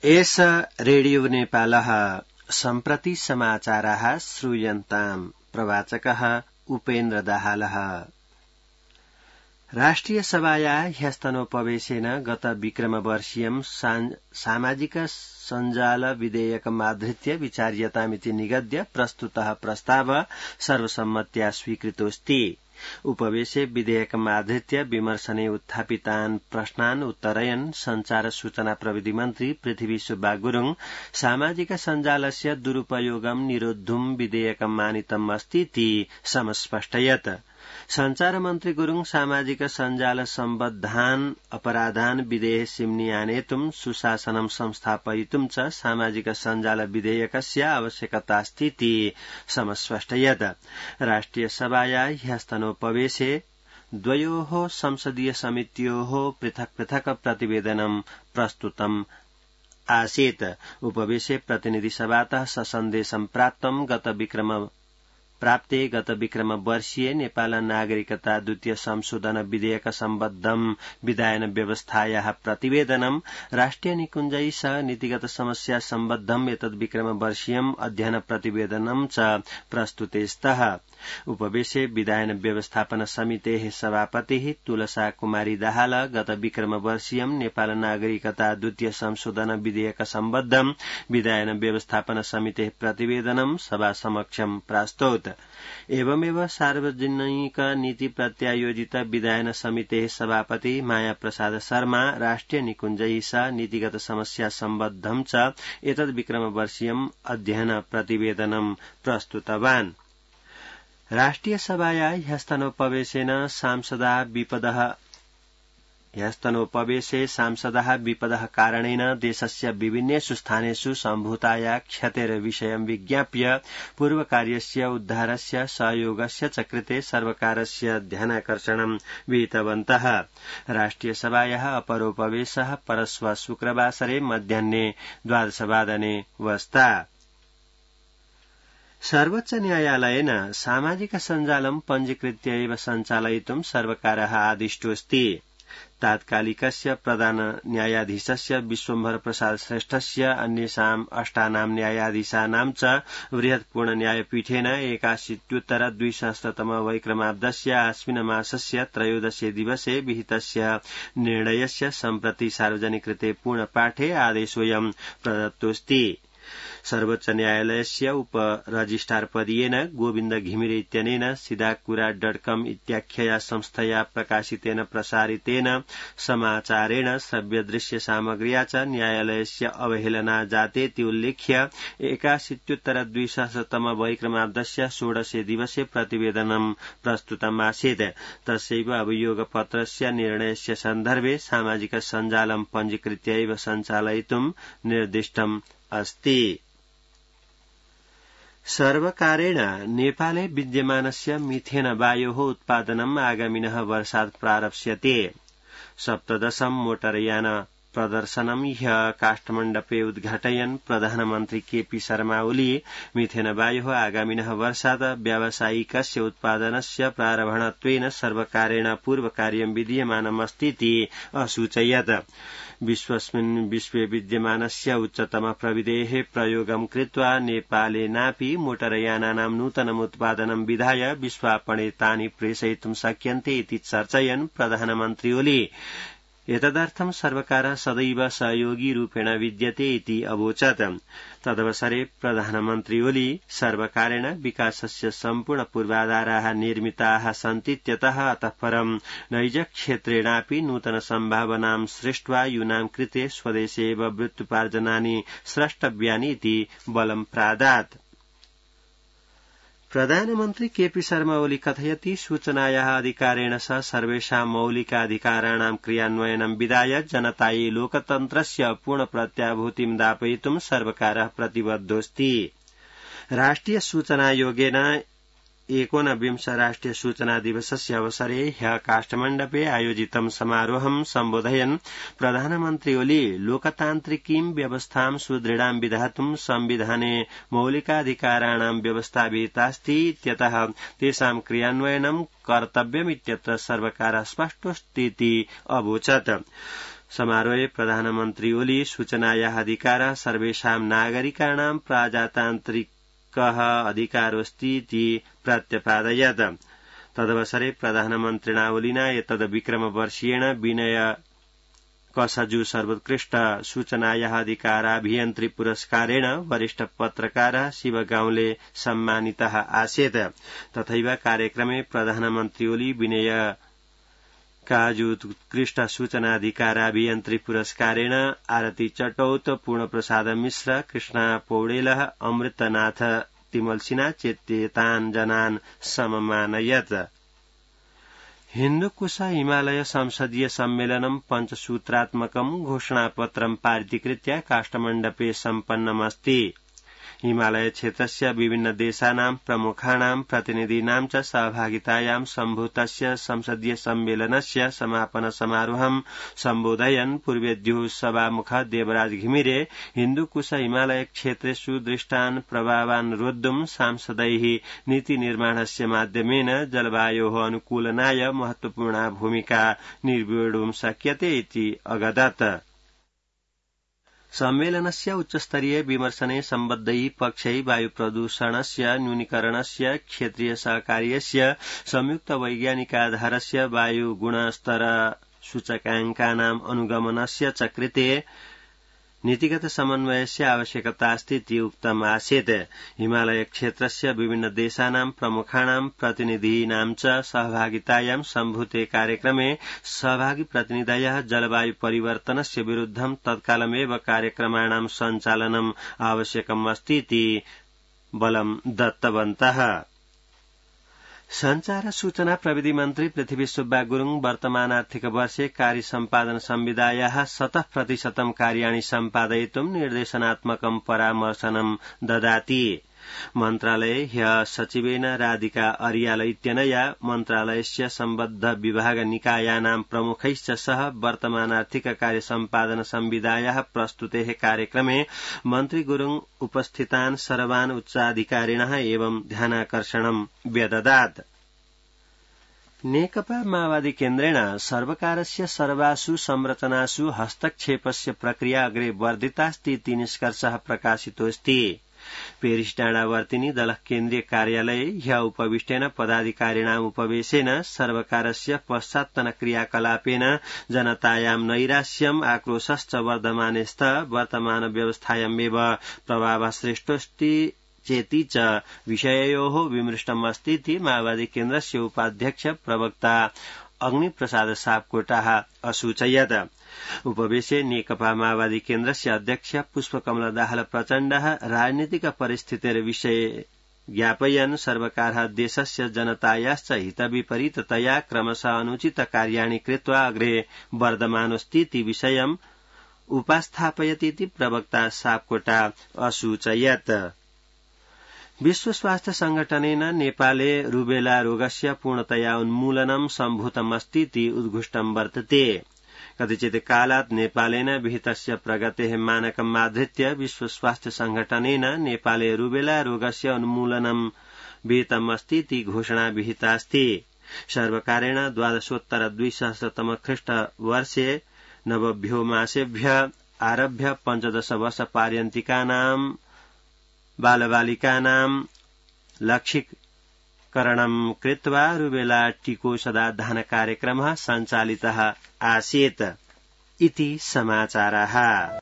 एष रेडियो नेपालः सम्प्रति समाचाराः श्रूयन्ताम्। प्रवाचकः उपेन्द्र दाहालः। राष्ट्रिय सभाया ह्यस्तनोपवेशेन गत विक्रमवर्षीयं सामाजिक सञ्जाल विधेयकमाधृत्य विचार्यतामिति निगद्य प्रस्तुतः प्रस्ताव सर्वसम्मत्या स्वीकृतोऽस्ति। उपवेशे विधेयकमाधृत्य विमर्शने उत्थापितान् प्रश्नान् उत्तरयन् संचार सूचना प्रविधि मन्त्री पृथ्वी सुब्बा गुरुङ सामाजिक सञ्जालस्य दुरुपयोगं निरोद्धुं विधेयकम् आनीतम् अस्तीति समस्पष्टयत्। संचार मन्त्री गुरुङ सामाजिक सञ्जाल सम्बद्धान् अपराधान् विधेयसिम्नि आनेतुं सुशासनं संस्थापयितुं च सामाजिक सञ्जाल विधेयकस्य आवश्यकतास्तीति समस्पष्टयत्। राष्ट्रिय सभाया ह्यस्तनोपवेशे द्वयोः संसदीय समित्योः पृथक् पृथक् प्रतिवेदनं प्रस्तुतम् आसीत्। उपवेशे प्रतिनिधि सभातः ससन्देशं प्राप्ते गत विक्रम वर्षीय नेपाल नागरिकता द्वितीय संशोधन विधेयक सम्बद्धं विधायन व्यवस्थायाः प्रतिवेदनं राष्ट्रिय निकुञ्जै सह नीतिगत समस्या सम्बद्धं एतद् विक्रम वर्षीयम् अध्ययन प्रतिवेदनं च प्रस्तुते स्तः। उपवेशे विधायन व्यवस्थापन समितेः सभापतिः तुलसा कुमारी दाहाल गत विक्रम वर्षीयम् नेपाल नागरिकता द्वितीय संशोधन विधेयक सम्बद्धं विधायन व्यवस्थापन समितेः प्रतिवेदनं सभा समक्षं प्रास्तौत्। एवमेव सार्वजनिक नीति प्रत्यायोजित विधायन समितेः सभापति माया प्रसाद शर्मा राष्ट्रिय निकुञ्जै सह नीतिगत समस्या सम्बद्धं च एतद् विक्रम वर्षीयम् अध्ययन प्रतिवेदनं प्रस्तुतवान्। राष्ट्रिय सभाया ह्यस्तनोपवेशे सांसदाः विपदः कारणेन देशस्य विभिन्नेषु स्थानेषु सम्भूताया क्षतेर्विषयं विज्ञाप्य पूर्वकार्यस्य उद्धारस्य सहयोगस्य च कृते सर्वकारस्य ध्यानाकर्षणं विहितवन्तः। राष्ट्रिय सभायाः अपरोपवेशः परश्व शुक्रवासरे मध्याह्ने 12 वादने वस्ता। सर्वोच्च न्यायालयेन सामाजिक सञ्जालं पञ्जीकृत्य एव सञ्चालयितुं सर्वकारः आदिष्टोऽस्ति। तात्कालिकस्य प्रधान न्यायाधीशस्य विश्वम्भर प्रसाद श्रेष्ठस्य अन्येषाम् 8 न्यायाधीशानां च बृहत् पूर्ण न्यायपीठेन 81-2000 वैक्रमाब्दस्य आश्विन मासस्य 13 दिवसे विहितस्य निर्णयस्य सम्प्रति सार्वजनिकृते पूर्णपाठे आदेशोऽयं प्रदत्तोऽस्ति। सर्वोच्च न्यायालयस्य उप रजिस्ट्रार पदीयेन गोविन्द घिमिरे इत्यनेन सिदाकुरा.com इत्याख्यया संस्थया प्रकाशितेन प्रसारितेन समाचारेण श्रव्यदृश्य सामग्र्या च न्यायालयस्य अवहेलना जातेति उल्लिख्य 81-2000 वैक्रमाब्दस्य 16 दिवसे प्रतिवेदनं प्रस्तुतमासीत्। तस्यैव अभियोगपत्रस्य निर्णयस्य सन्दर्भे सामाजिक सञ्जालं पञ्जीकृत्य एव सञ्चालयितुं निर्दिष्टम् अस्ति। सर्वकारेण नेपाले विद्यमानस्य मिथेन वायोः उत्पादनम् आगामिनः वर्षात् प्रारप्स्यते। 17 मोटरयान प्रदर्शनं ह्यः काष्ठमण्डपे उद्घाटयन् प्रधानमन्त्री केपी शर्मा ओली मिथेन वायोः आगामिनः वर्षात् व्यावसायिकस्य उत्पादनस्य प्रारम्भत्वेन सर्वकारेण पूर्वकार्यं विधीयमानमस्तीति असूचयत्। विश्वे विद्यमानस्य उच्चतम प्रविधेः प्रयोगं कृत्वा नेपालेनापि मोटरयानानां नूतनम् उत्पादनं विधाय विश्वापणे तानि प्रेषयितुं शक्यन्ते इति चर्चयन् प्रधानमन्त्री ओली एतदर्थं सर्वकारः सदैव सहयोगी रूपेण विद्यते इति अवोचत्। तदवसरे प्रधानमन्त्री ओली सर्वकारेण विकासस्य सम्पूर्ण पूर्वाधाराः निर्मिताः सन्तीत्यतः अतः परं नैजक्षेत्रेणापि नूतन सम्भावनां सृष्ट्वा यूनां कृते स्वदेशे एव वृत्त्युपार्जनानि स्रष्टव्यानि इति बलं प्रादात्। प्रधानमन्त्री केपी शर्मा ओली कथयति सूचनायाः अधिकारेण सह सर्वेषां मौलिकाधिकाराणां क्रियान्वयनं विधाय जनतायै लोकतन्त्रस्य पूर्ण प्रत्याभूतिं दापयितुं सर्वकारः प्रतिबद्धोऽस्ति। राष्ट्रिय सूचनायोगेन 19 राष्ट्रिय सूचना दिवसस्य अवसरे ह्यः काष्ठमण्डपे आयोजितं समारोहं सम्बोधयन् प्रधानमन्त्री ओली लोकतान्त्रिकीं व्यवस्थां सुदृढां विधातुं संविधाने मौलिकाधिकाराणां व्यवस्था विहितास्ति इत्यतः तेषां क्रियान्वयनं कर्तव्यमित्यत्र सर्वकारः स्पष्टोऽस्तीति अवोचत्। समारोहे प्रधानमन्त्री ओली सूचनायाः अधिकारः सर्वेषां नागरिकाणां प्रजातान्त्रिकः अधिकारोऽस्ति इति प्रत्यपादयत्। तदवसरे प्रधानमन्त्रिणा ओलिना एतद् विक्रमवर्षीयेण विनय कसजु सर्वोत्कृष्ट सूचनायाः अधिकाराभियन्त्री पुरस्कारेण वरिष्ठ पत्रकारः शिव गाउँले सम्मानितः आसीत्। तथैव कार्यक्रमे प्रधानमन्त्री ओली विनय काजुत्कृष्ट सूचनाधिकाराभियन्त्री पुरस्कारेण आरती चटौत, पूर्णप्रसाद मिश्र, कृष्णा पौडेलः, अमृतनाथ तिमलसिना चेत्येतान् जनान् सममानयत्। हिन्दुकुश हिमालय संसदीय सम्मेलनं पञ्चसूत्रात्मकं घोषणापत्रं पारितीकृत्य काष्ठमण्डपे सम्पन्नमस्ति। हिमालय क्षेत्रस्य विभिन्न देशानां प्रमुखाणां प्रतिनिधीनां च सहभागितायां सम्भूतस्य संसदीय सम्मेलनस्य समापन समारोहं सम्बोधयन् पूर्वेद्युः सभामुख देवराज घिमिरे हिन्दुकुश हिमालय क्षेत्रेषु दृष्टान् प्रभावान् रोद्धुं सांसदैः नीतिनिर्माणस्य माध्यमेन जलवायोः अनुकूलनाय महत्वपूर्णा भूमिका निर्वोढुं शक्यते इति अगदत्। सम्मेलनस्य उच्चस्तरीय विमर्शने सम्बद्धैः पक्षैः वायु प्रदूषणस्य न्यूनीकरणस्य क्षेत्रीय सहकार्यस्य संयुक्त वैज्ञानिकाधारस्य वायु गुणस्तर सूचकाङ्कानाम् अनुगमनस्य च कृते नीतिगत समन्वयस्य आवश्यकता अस्ति इति उक्तम् आसीत्। हिमालय क्षेत्रस्य विभिन्न देशानां प्रमुखाणां प्रतिनिधीनां च सहभागितायां सम्भूते कार्यक्रमे सहभागी प्रतिनिधयः जलवायु परिवर्तनस्य विरुद्धं तत्कालमेव कार्यक्रमाणां सञ्चालनम् आवश्यकम् अस्ति इति बलं दत्तवन्तः। संचार सूचना प्रविधि मन्त्री पृथ्वी सुब्बा गुरुङ वर्तमान आर्थिक वर्षे कार्य सम्पादन संविधायाः 100% कार्याणि सम्पादयितुं निर्देशनात्मकं परामर्शनं ददाति। मन्त्रालये ह्यः सचिवेन राधिका अरियाल इत्यनया मन्त्रालयस्य सम्बद्ध विभाग निकायानां प्रमुखैश्च सह वर्तमान आर्थिक कार्य सम्पादन संविधायाः प्रस्तुतेः कार्यक्रमे मन्त्री गुरुङ उपस्थितान् सर्वान् उच्चाधिकारिणः एवं ध्यानाकर्षणं व्यददात्। नेकपा माओवादी केन्द्रेण सर्वकारस्य सर्वासु संरचनासु हस्तक्षेपस्य प्रक्रिया अग्रे वर्धितास्ति इति निष्कर्षः प्रकाशितोऽस्ति। पेरिस डाँडावर्तिनी दलः केन्द्रीय कार्यालये ह्यः उपविष्टेन पदाधिकारिणाम् उपवेशेन सर्वकारस्य पश्चात्तन क्रियाकलापेन जनतायां नैराश्यम् आक्रोशश्च वर्धमाने स्तः वर्तमान व्यवस्थायामेव प्रभावः सृष्टोऽस्ति चेति च विषययोः विमृष्टमस्ति इति माओवादी केन्द्रस्य उपाध्यक्ष प्रवक्ता अग्निप्रसाद सापकोटाः असूचयत्। उपवेशे नेकपा माओवादी केन्द्रस्य अध्यक्ष पुष्पकमल दाहाल प्रचण्डः राजनीतिक परिस्थितेर्विषये ज्ञापयन् सर्वकारः देशस्य जनतायाश्च हितविपरीततया क्रमशः अनुचित कार्याणि कृत्वा अग्रे वर्धमानोऽस्ति इति विषयम् उपस्थापयति इति प्रवक्ता सापकोटा असूचयत्। विश्व स्वास्थ्य संगठनेन नेपाले रुबेला रोगस्य पूर्णतया उन्मूलनं सम्भूतमस्ति इति उद्घुष्टं वर्तते। कतिचित् कालात् नेपालेन विहितस्य प्रगतेः मानकम् आधृत्य विश्व स्वास्थ्य संगठनेन नेपाले रुबेला रोगस्य उन्मूलनं विहितमस्ति इति घोषणा विहितास्ति। सर्वकारेण 12,200 ख्रीष्टवर्षे नवभ्यो मासेभ्यः आरभ्य 15 वर्षपर्यन्तिकानां बालबालिकानां लक्षीकरणं कृत्वा रुबेला टीकोषधाधान कार्यक्रमः सञ्चालितः आसीत् इति समाचारः।